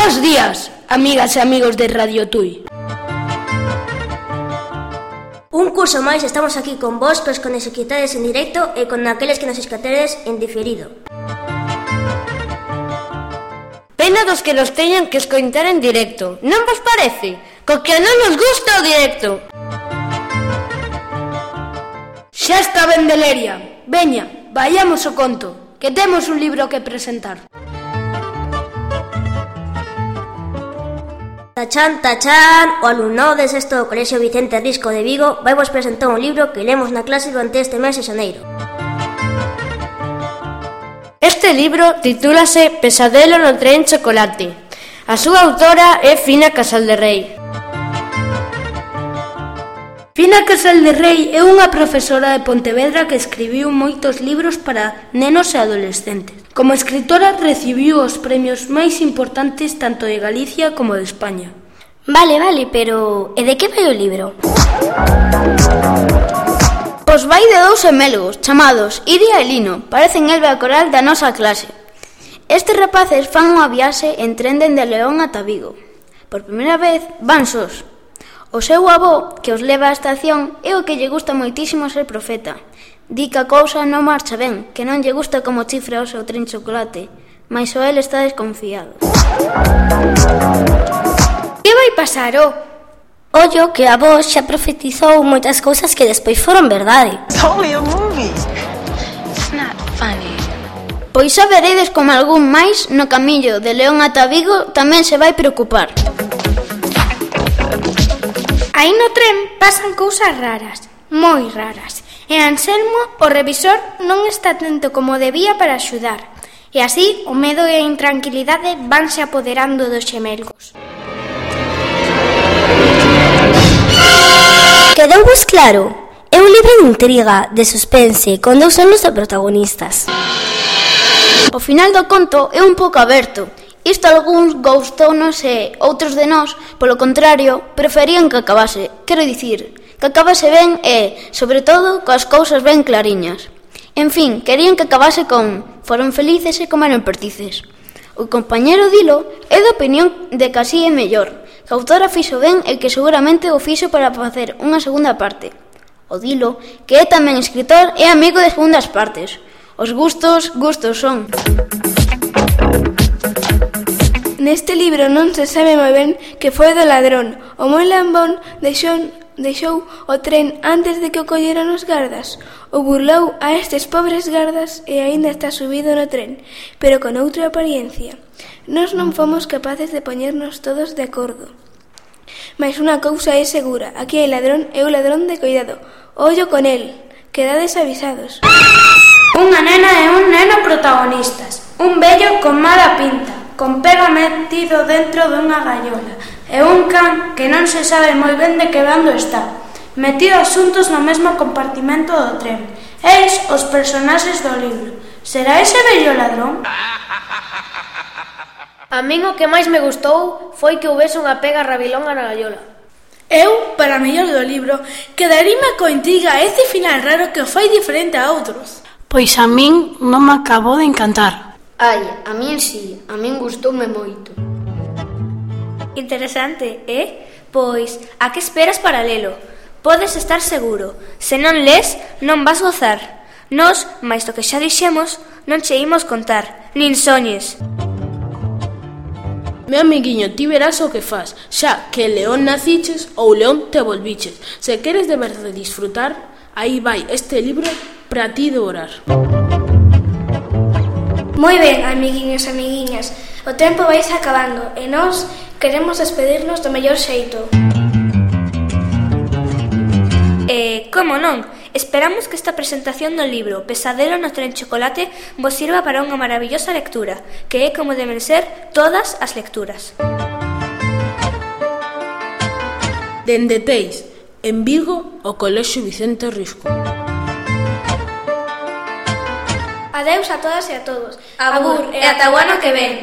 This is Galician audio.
Bos días, amigas e amigos de Radio Tui. Un curso máis estamos aquí con vos, cos que nos escoitades en directo e con aqueles que nos escoitades en diferido. Pena dos que nos teñan que escoitar en directo, non vos parece? Co que non nos gusta o directo. Xa está ben de leria. Veña, vayamos ao conto, que temos un libro que presentar. Tachán, tachán, o alumnado de sexto do Colexio Vicente Risco de Vigo vai vos presentar un libro que lemos na clase durante este mes de xaneiro. Este libro titúlase Pesadelo no tren chocolate. A súa autora é Fina Casalderrei. Fina Casalderrei é unha profesora de Pontevedra que escribiu moitos libros para nenos e adolescentes. Como escritora recibiu os premios máis importantes tanto de Galicia como de España. Vale, pero e de que vai o libro? Pois vai de dous gemélgos chamados Iria e Lino, parecen Elba e Coral da nosa clase. Estes rapaces fan unha viaxe en tren dende León ata Vigo. Por primeira vez van sós. O seu avó, que os leva á estación, é o que lle gusta moitísimo ser profeta. Di que a cousa non marcha ben, que non lle gusta como chifra o seu tren chocolate, mais o el está desconfiado. Que vai pasar, o? Ollo que a vos xa profetizou moitas cousas que despois foron verdade. It's only a movie. It's not funny. Pois xa veredes como algún máis no camiño de León ata Vigo tamén se vai preocupar. Aí no tren pasan cousas raras, moi raras. E Anselmo, o revisor, non está atento como debía para axudar. E así, o medo e a intranquilidade vanse apoderando dos xemelgos. Quedouvos claro? É un libro de intriga, de suspense, con dous anos de protagonistas. O final do conto é un pouco aberto. Isto algúns gustounos e outros de nós, polo contrario, preferían que acabase. Quero dicir, que acabase ben e, sobre todo, coas cousas ben clariñas. En fin, querían que acabase con foron felices e comeron perdices. O compañero Dilo é da opinión de que así é mellor, que a autora fixo ben e que seguramente o fixo para facer unha segunda parte. O Dilo, que é tamén escritor, é amigo de segundas partes. Os gustos son. Neste libro non se sabe moi ben que foi do ladrón. O moi lambón deixou o tren antes de que o colleran os gardas. O burlou a estes pobres gardas e aínda está subido no tren, pero con outra apariencia. Nós non fomos capaces de poñernos todos de acordo. Mais unha cousa é segura, aquí hai ladrón e o ladrón de cuidado. Ollo con el, quedades avisados. Unha nena e un neno protagonistas. Un vello con mala pinta, con pega metido dentro dunha gaiola, e un can que non se sabe moi ben de que bando está, metidos xuntos no mesmo compartimento do tren. Eis os personaxes do libro. Será ese vello ladrón? A min o que máis me gustou foi que houbese unha pega rabilonga na gaiola. Eu, para mellor do libro, quedaríame coa intriga a ese final raro que o fai diferente a outros. Pois a min non me acabou de encantar. Ai, a min si, a min gustoume moito. Interesante, Pois, a que esperas para lelo? Podes estar seguro, se non les, non vas gozar. Nós, máis do que xa dixemos, non che imos contar, nin soñes. Meu amiguiño, ti verás o que faz, xa que león naciches ou león te volviches. Se queres de verdade disfrutar, aí vai este libro para ti devorar. Moi ben, amiguiños e amiguiñas, o tempo vais acabando e nós queremos despedirnos do mellor xeito. Como non? Esperamos que esta presentación do libro Pesadelo no tren chocolate vos sirva para unha maravillosa lectura, que é como deben ser todas as lecturas. Dende Teis, en Vigo, o Colexio Vicente Risco. Adeus a todas e a todos. Abur e ata o ano que ven.